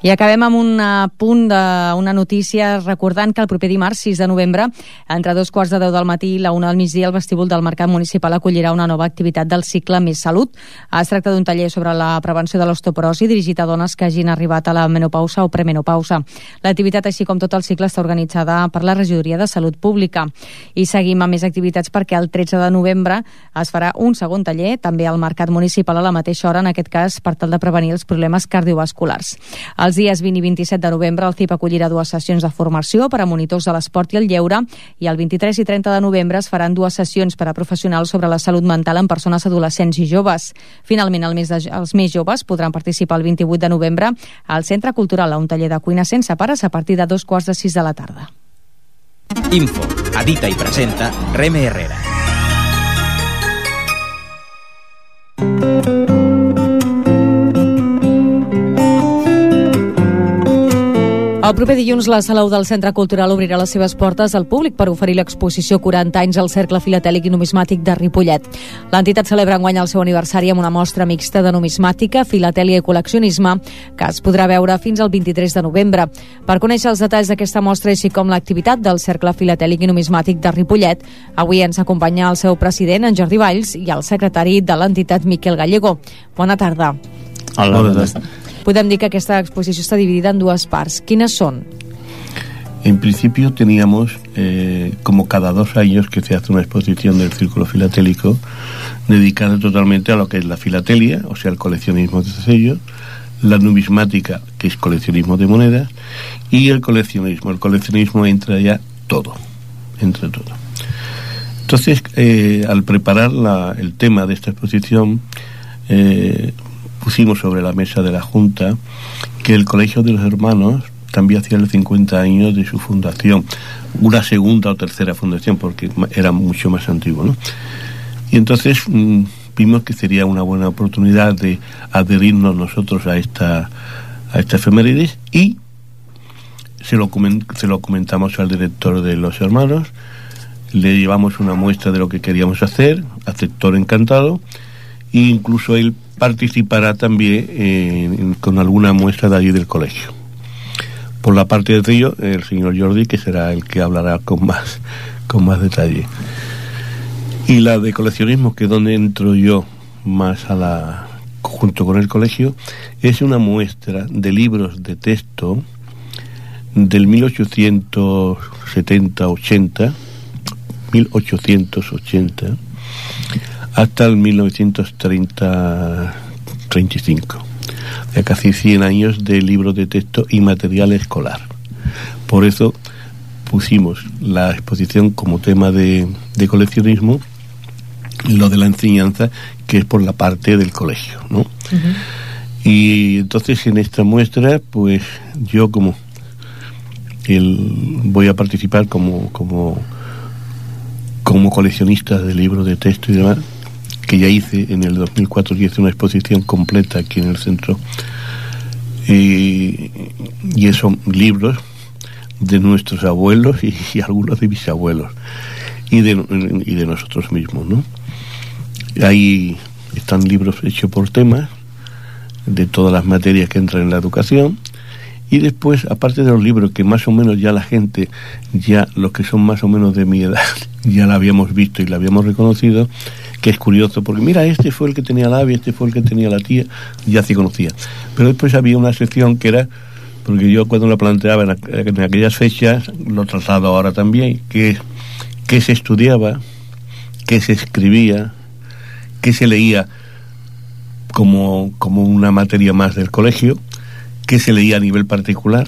Speaker 2: I acabem amb un punt d'una notícia recordant que el proper dimarts 6 de novembre, entre 2:15 del matí i la 1 del migdia, el vestíbul del Mercat Municipal acollirà una nova activitat del cicle Més Salut. Es tracta d'un taller sobre la prevenció de l'osteoporosi dirigit a dones que hagin arribat a la menopausa o premenopausa. L'activitat, així com tot el cicle, està organitzada per la Regidoria de Salut Pública. I seguim amb més activitats perquè el 13 de novembre es farà un segon taller, també al Mercat Municipal a la mateixa hora, en aquest cas per tal de prevenir els problemes cardiovasculars. Els dies 20 i 27 de novembre el CIP acollirà 2 sessions de formació per a monitors de l'esport i el lleure, i el 23 i 30 de novembre es faran 2 sessions per a professionals sobre la salut mental en persones adolescents i joves. Finalment, els més joves podran participar el 28 de novembre al Centre Cultural a un taller de cuina sense pares a partir de 2:15 de la tarda.
Speaker 1: Info, edita i presenta Reme Herrera.
Speaker 2: El proper dilluns la Sala 1 del Centre Cultural obrirà les seves portes al públic per oferir l'exposició 40 anys al Cercle Filatèlic i Numismàtic de Ripollet. L'entitat celebra enguany el seu aniversari amb una mostra mixta de numismàtica, filatèlia i col·leccionisme que es podrà veure fins al 23 de novembre. Per conèixer els detalls d'aquesta mostra, així com l'activitat del Cercle Filatèlic i Numismàtic de Ripollet, avui ens acompanya el seu president, en Jordi Valls, i el secretari de l'entitat, Miquel Gallego. Bona tarda.
Speaker 10: Hola, bona tarda.
Speaker 2: Podem dir que esta exposición está dividida en 2 partes. ¿Quiénes son?
Speaker 10: En principio teníamos, como cada 2 años que se hace una exposición del Círculo Filatélico, dedicada totalmente a lo que es la filatelia, o sea, el coleccionismo de sellos, la numismática, que es coleccionismo de monedas, y el coleccionismo. El coleccionismo entra ya todo, entra todo. Entonces, al preparar el tema de esta exposición, pusimos sobre la mesa de la Junta que el Colegio de los Hermanos también hacía los 50 años de su fundación, una segunda o tercera fundación, porque era mucho más antiguo, ¿no? Y entonces vimos que sería una buena oportunidad de adherirnos nosotros a esta efemérides, y se lo comentamos al director de los Hermanos, le llevamos una muestra de lo que queríamos hacer, aceptó encantado, e incluso él participará también con alguna muestra de allí del colegio. Por la parte de ello, el señor Jordi, que será el que hablará con más detalle. Y la de coleccionismo, que es donde entro yo más junto con el colegio, es una muestra de libros de texto del 1880 hasta el 1935, de casi 100 años de libros de texto y material escolar. Por eso pusimos la exposición como tema de coleccionismo, lo de la enseñanza, que es por la parte del colegio, ¿no? Uh-huh. Y entonces en esta muestra, pues yo voy a participar como coleccionista de libros de texto y demás, que ya hice en el 2004, y hice una exposición completa aquí en el centro, y esos libros de nuestros abuelos y algunos de mis abuelos y de nosotros mismos, ¿no? Ahí están libros hechos por temas de todas las materias que entran en la educación. Y después, aparte de los libros que más o menos ya la gente, ya los que son más o menos de mi edad, ya la habíamos visto y la habíamos reconocido, que es curioso, porque mira, este fue el que tenía la ave, este fue el que tenía la tía, ya se conocía. Pero después había una sección que era, porque yo cuando la planteaba en aquellas fechas, lo traslado ahora también, que se estudiaba, que se escribía, que se leía como una materia más del colegio, que se leía a nivel particular,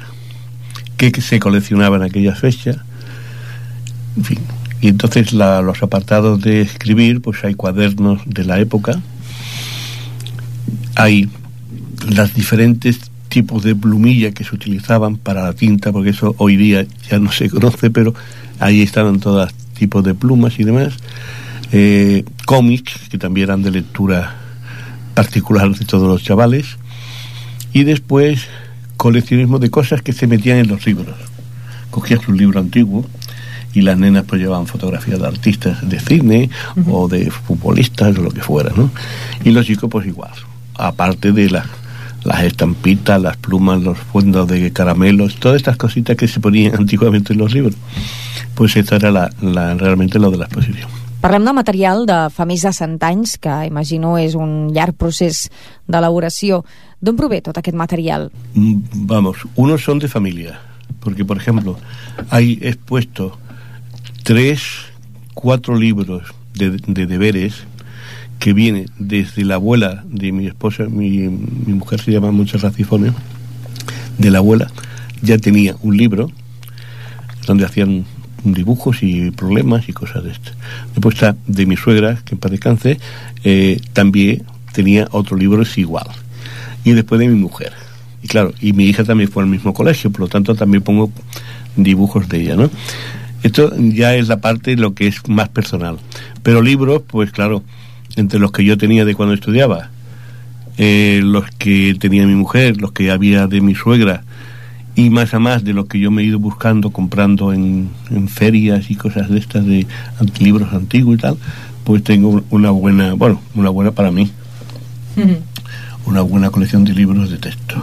Speaker 10: que se coleccionaba en aquellas fechas, en fin. Y entonces los apartados de escribir, pues hay cuadernos de la época, hay los diferentes tipos de plumilla que se utilizaban para la tinta, porque eso hoy día ya no se conoce, pero ahí estaban todos tipos de plumas y demás, cómics, que también eran de lectura particular de todos los chavales, y después coleccionismo de cosas que se metían en los libros. Cogías un libro antiguo y las nenas pues llevaban fotografías de artistas de cine, uh-huh, o de futbolistas o lo que fuera, ¿no? Y los chicos pues igual, aparte de las estampitas, las plumas, los fondos de caramelos, todas estas cositas que se ponían antiguamente en los libros. Pues esta era realmente lo de la exposición.
Speaker 2: Parlem de material de fa més de 100 anys, que imagino és un llarg procés d'elaboració. D'on prové tot aquest material?
Speaker 10: Vamos, unos son de familia, porque por ejemplo, hay expuesto 3-4 libros de deberes que viene desde la abuela de mi esposa, mi mujer se llama Montserrat Cifone, de la abuela ya tenía un libro donde hacían dibujos y problemas y cosas de esto. Después está de mi suegra, que en paz descanse, también tenía otro libro igual. Y después de mi mujer. Y claro, y mi hija también fue al mismo colegio, por lo tanto también pongo dibujos de ella, ¿no? Esto ya es la parte de lo que es más personal. Pero libros, pues claro, entre los que yo tenía de cuando estudiaba, los que tenía mi mujer, los que había de mi suegra, y más a más de lo que yo me he ido buscando, comprando en ferias y cosas de estas, de libros antiguos y tal, pues tengo una buena para mí, una buena colecció de llibres de texto.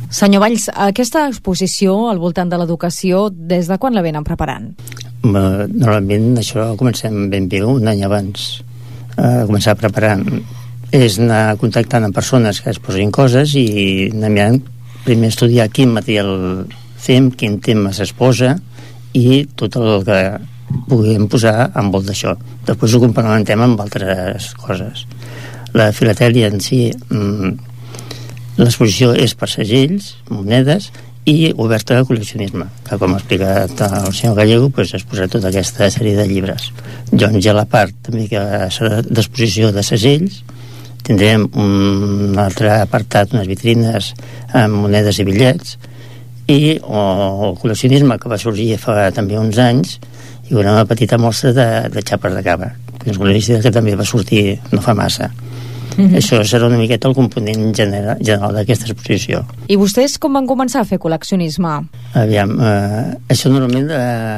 Speaker 2: Senyor Valls, aquesta exposició al voltant de l'educació, des de quan la venen preparant?
Speaker 11: Normalment això comencem ben bé un any abans. Començar preparant és anar contactant amb persones que es posin coses i anar mirant, primer estudiar quin material fem, quin tema s'exposa i tot el que puguem posar envoltat d'això. Després ho complementem amb altres coses. La filatèlia en si, l'exposició és per segells, monedes i oberta al col·leccionisme, que com ha explicat el senyor Gallego, pues, es posa tota aquesta sèrie de llibres. Doncs hi ha la part també que serà d'exposició de segells, tindrem un altre apartat, unes vitrines amb monedes i bitllets, i el col·leccionisme, que va sorgir fa també uns anys, i una petita mostra de xapes de cava, que és una llista que també va sortir no fa massa. Això serà una miqueta el component general d'aquesta exposició.
Speaker 2: I vostès com van començar a fer col·leccionisme?
Speaker 11: Aviam, això normalment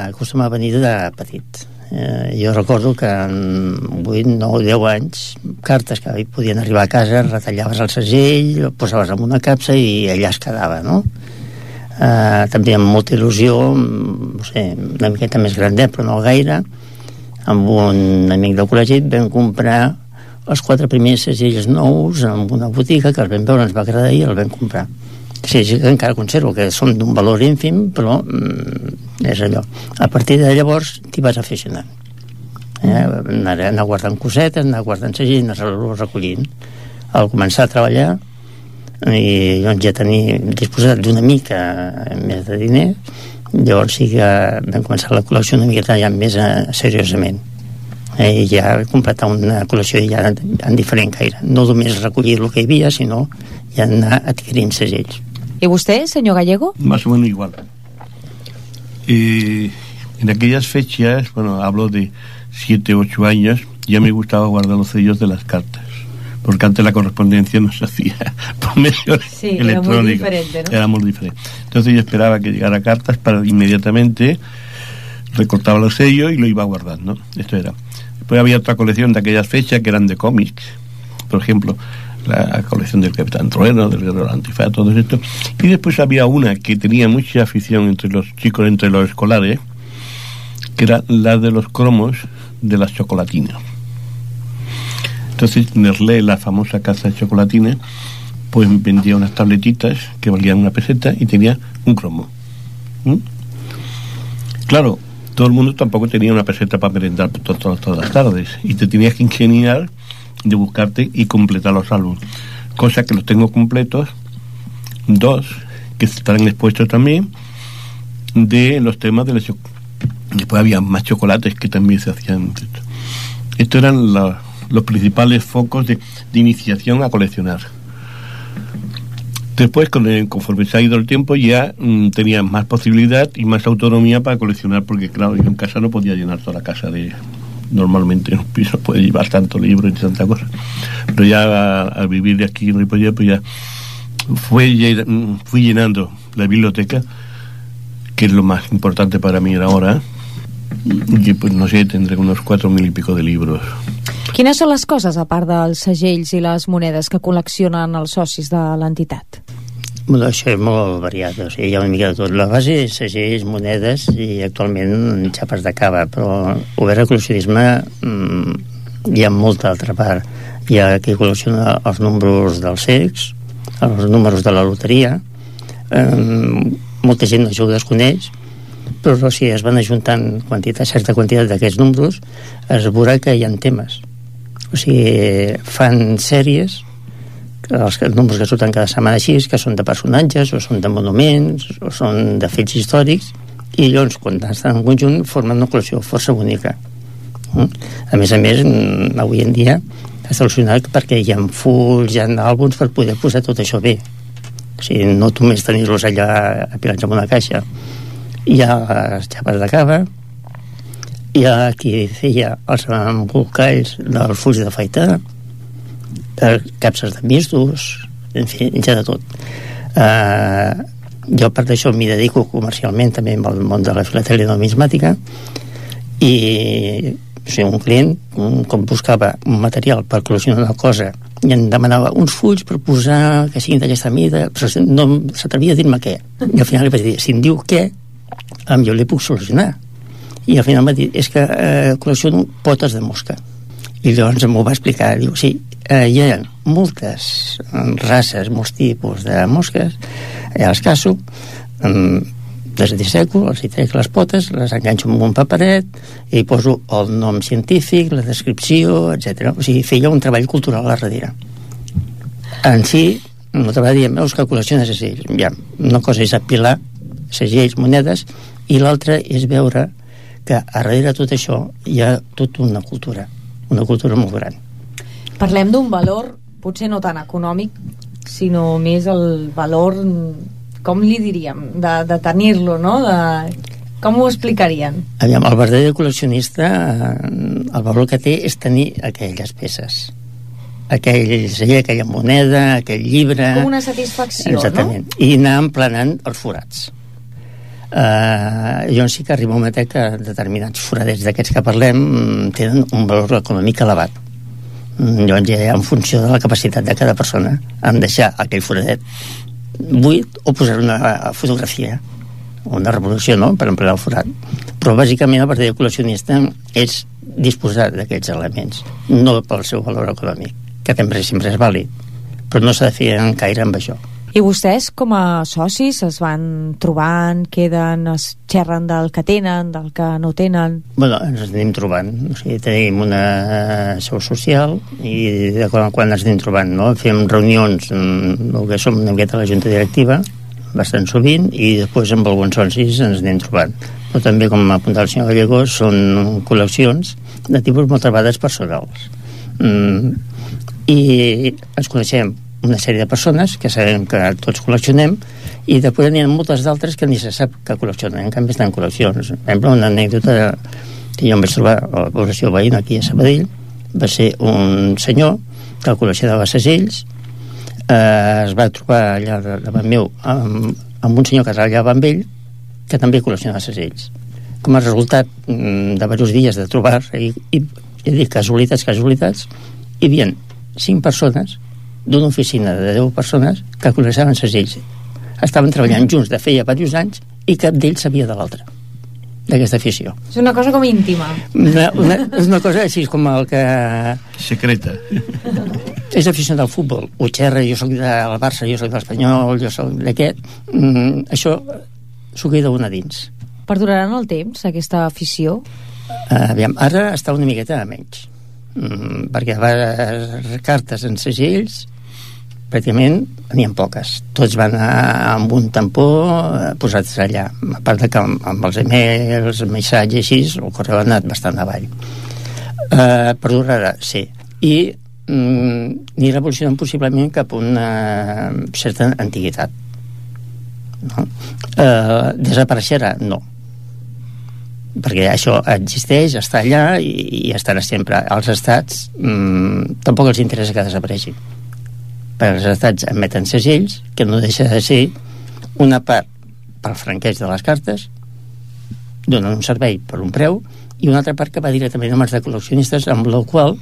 Speaker 11: acostuma a venir de petit. Jo recordo que en 8, 9, 10 anys, cartes que podien arribar a casa, retallaves el segell, posaves en una capsa i allà es quedava, no? També amb molta il·lusió, no sé, una miqueta més grandet, però no gaire, amb un amic del col·legi vam comprar els 4 primers segells nous en una botiga que els vam veure, ens va agradar i els vam comprar. Sí, encara conservo que són d'un valor ínfim, però és allò. A partir de llavors t'hi vas aficionant. Anar guardant cosetes, anar guardant segells, anar-los recollint. Al començar a treballar i doncs ja tenir disposat d'una mica més de diner, llavors sí que vam començar la col·lecció una miqueta ja més seriosament. I ja completar una col·lecció ja en diferent gaire, no només recollir el que hi havia, sinó ja anar adquirint segells.
Speaker 2: ¿Y usted, señor Gallego?
Speaker 10: Más o menos igual. En aquellas fechas, bueno, hablo de 7, 8 años, ya me gustaba guardar los sellos de las cartas, porque antes la correspondencia no se hacía por medio electrónico. Era muy diferente. Entonces yo esperaba que llegara cartas para inmediatamente recortaba los sellos y lo iba guardando. Esto era. Después había otra colección de aquellas fechas que eran de cómics, por ejemplo la colección del Capitán Trueno, del Guerrero Antifaz, todo esto. Y después había una que tenía mucha afición entre los chicos, entre los escolares, que era la de los cromos de las chocolatinas. Entonces Nestlé, la famosa casa de chocolatinas, pues vendía unas tabletitas que valían 1 peseta y tenía un cromo. Claro, todo el mundo tampoco tenía 1 peseta para merendar todas las tardes y te tenías que ingeniar de buscarte y completar los álbumes, cosa que los tengo completos, 2 que estarán expuestos también de los temas de la después había más chocolates que también se hacían. Estos eran los principales focos de iniciación a coleccionar. Después, conforme se ha ido el tiempo, ya tenía más posibilidad y más autonomía para coleccionar, porque claro, yo en casa no podía llenar toda la casa de... Normalmente en un piso puede llevar tanto libro y tanta cosa, pero ya al vivir aquí en Ripollet, pues ya fui llenando la biblioteca, que es lo más importante para mí ahora, y pues no sé, tendré unos 4.000 y pico de libros.
Speaker 2: Quines són les coses, a part dels segells i les monedes, que col·leccionen els socis de l'entitat?
Speaker 11: Bueno, això és molt variat, o sigui, hi ha una mica de tot. La base és segells, monedes i actualment xapes de cava, però obert al col·leccionisme hi ha molta altra part. Hi ha qui col·lecciona els números dels cecs, els números de la loteria, molta gent això ho desconeix, però si es van ajuntant certa quantitat d'aquests números, es veurà que hi ha temes. O sigui, fan sèries, els números que surten cada setmana així, que són de personatges, o són de monuments, o són de fets històrics, i llavors, quan estan en conjunt, formen una col·lecció força bonica. A més, avui en dia està solucionat perquè hi ha fulls, hi ha àlbums per poder posar tot això bé. O sigui, no només tenir-los allà apilats en una caixa. Hi ha les xapes de cava, hi ha qui feia els embolcalls dels fulls de faitar, capses de mistos, en fi, ja de tot. Jo, a part d'això, m'hi dedico comercialment també al món de la filatèlia numismàtica, i o sigui, un client, com buscava un material per col·leccionar una cosa i em demanava uns fulls per posar que siguin d'aquesta mida, però no s'atrevia a dir-me què, i al final li vaig dir, si em diu què, jo li puc solucionar. I al final em va dir, és que col·lecciono potes de mosca. I llavors m'ho va explicar, diu, sí, hi ha moltes races, molts tipus de mosques, ja les caço, les disseco, els hi trec les potes, les enganxo amb un paperet i hi poso el nom científic, la descripció, etc. O sigui, feia un treball cultural a darrere. En si, no te va dir, veus que col·lecciona segells. Ja, una cosa és apilar segells, monedes, i l'altra és veure que a darrere de tot això hi ha tota una cultura molt gran.
Speaker 2: Parlem d'un valor, potser no tan econòmic, sinó més el valor, com li diríem, de tenir-lo, no? Com ho explicarien?
Speaker 11: Aviam, el verdader col·leccionista, el valor que té és tenir aquelles peces. Aquell segell, aquella moneda, aquell llibre...
Speaker 2: Com una satisfacció,
Speaker 11: exactament, no? I anar emplenant els forats. Jo sí que arriba un moment que determinats foradets d'aquests que parlem tenen un valor econòmic elevat. Llavors ja en funció de la capacitat de cada persona en deixar aquell foradet buit o posar una fotografia o una reproducció, no?, per emplenar el forat. Però bàsicament el verdader col·leccionista és disposar d'aquests elements, no pel seu valor econòmic, que també sempre és vàlid, però no s'ha de fer encaire amb això.
Speaker 2: I vostès, com a socis, es van trobant, queden, es xerren del que tenen, del que no tenen?
Speaker 11: Bueno, ens anem trobant. O sigui, tenim una seu social i de quan ens anem trobant, no? Fem reunions, el que som una miqueta la junta directiva, bastant sovint, i després amb alguns socis ens anem trobant. Però també, com apuntava el senyor Gallego, són col·leccions de tipus moltes vegades personals. I ens coneixem una sèrie de persones que sabem que tots col·leccionem i després n'hi ha moltes d'altres que ni se sap que col·leccionen, en canvi estan en col·leccions. Per exemple, una anècdota que jo em vaig trobar a la població veïna aquí a Sabadell va ser un senyor que col·leccionava segells, es va trobar allà davant meu amb un senyor que treballava amb ell que també col·leccionava segells. Com a resultat de diversos dies de trobar i dic casualitats, hi havia 5 persones d'una oficina de 10 persones que col·leccionaven segells. Estaven treballant junts de feia diversos anys i cap d'ells sabia de l'altre, d'aquesta afició.
Speaker 2: És una cosa com íntima.
Speaker 11: És una cosa així com el que...
Speaker 10: secreta.
Speaker 11: És aficionat al futbol. Ho xerra, jo soc del Barça, jo soc de l'Espanyol, jo soc d'aquest. Això s'ho queda una dins.
Speaker 2: Perduraran el temps, aquesta afició?
Speaker 11: Aviam, ara està una miqueta menys. Perquè cartes en segells pràcticament n'hi ha poques, tots van amb un tampó posats allà, a part de que amb els emails, missatges així, el correu ha anat bastant avall. Perdurarà, sí, i anirà evolucionant possiblement cap a una certa antiguitat, no? Desapareixerà? No, perquè això existeix, està allà i estarà sempre. Als estats tampoc els interessa que desapareixi, perquè els estats emeten segells que no deixa de ser una part pel franqueig de les cartes, donen un servei per un preu, i una altra part que va directament a mans de col·leccionistes, amb la qual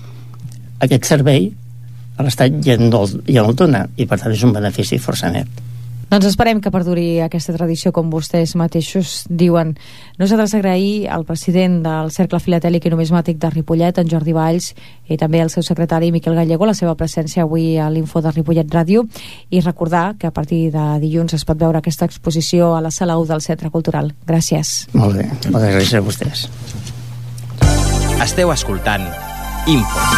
Speaker 11: aquest servei a l'Estat ja no el dona, i per tant és un benefici força net.
Speaker 2: Doncs esperem que perduri aquesta tradició, com vostès mateixos diuen. Nosaltres agrair al president del Cercle Filatèlic i Numismàtic de Ripollet, en Jordi Valls, i també al seu secretari Miquel Gallego, la seva presència avui a l'Info de Ripollet Ràdio, i recordar que a partir de dilluns es pot veure aquesta exposició a la Sala 1 del Centre Cultural. Gràcies.
Speaker 11: Molt bé, moltes gràcies a vostès.
Speaker 1: Esteu escoltant Info.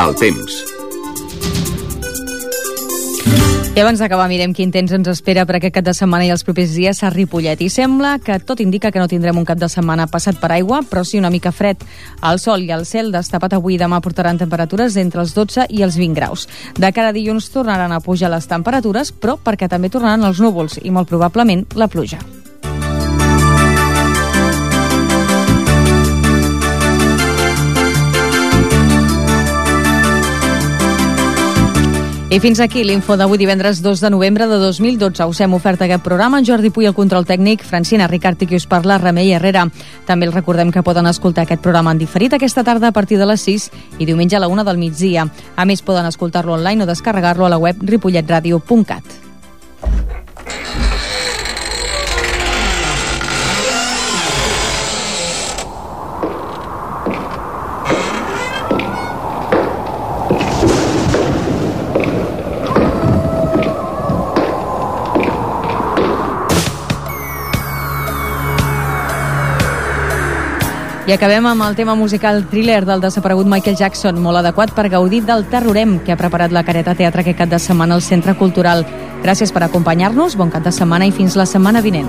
Speaker 6: El temps.
Speaker 2: I abans d'acabar, mirem quin temps ens espera per aquest cap de setmana i els propers dies a Ripollet. I sembla que tot indica que no tindrem un cap de setmana passat per aigua, però sí una mica fred. El sol i el cel destapat avui i demà portaran temperatures entre els 12 i els 20 graus. De cara a dilluns tornaran a pujar les temperatures, però perquè també tornaran els núvols i molt probablement la pluja. I fins aquí l'Info d'avui divendres 2 de novembre de 2012. Us hem ofert aquest programa en Jordi Puy, el control tècnic, Francina Ricart i qui us parla, Remei Herrera. També els recordem que poden escoltar aquest programa en diferit aquesta tarda a partir de les 6 i diumenge a la 1 del migdia. A més, poden escoltar-lo online o descarregar-lo a la web ripolletradio.cat. I acabem amb el tema musical Thriller del desaparegut Michael Jackson, molt adequat per gaudir del Terrorem que ha preparat la Careta Teatre aquest cap de setmana al Centre Cultural. Gràcies per acompanyar-nos, bon cap de setmana i fins la setmana vinent.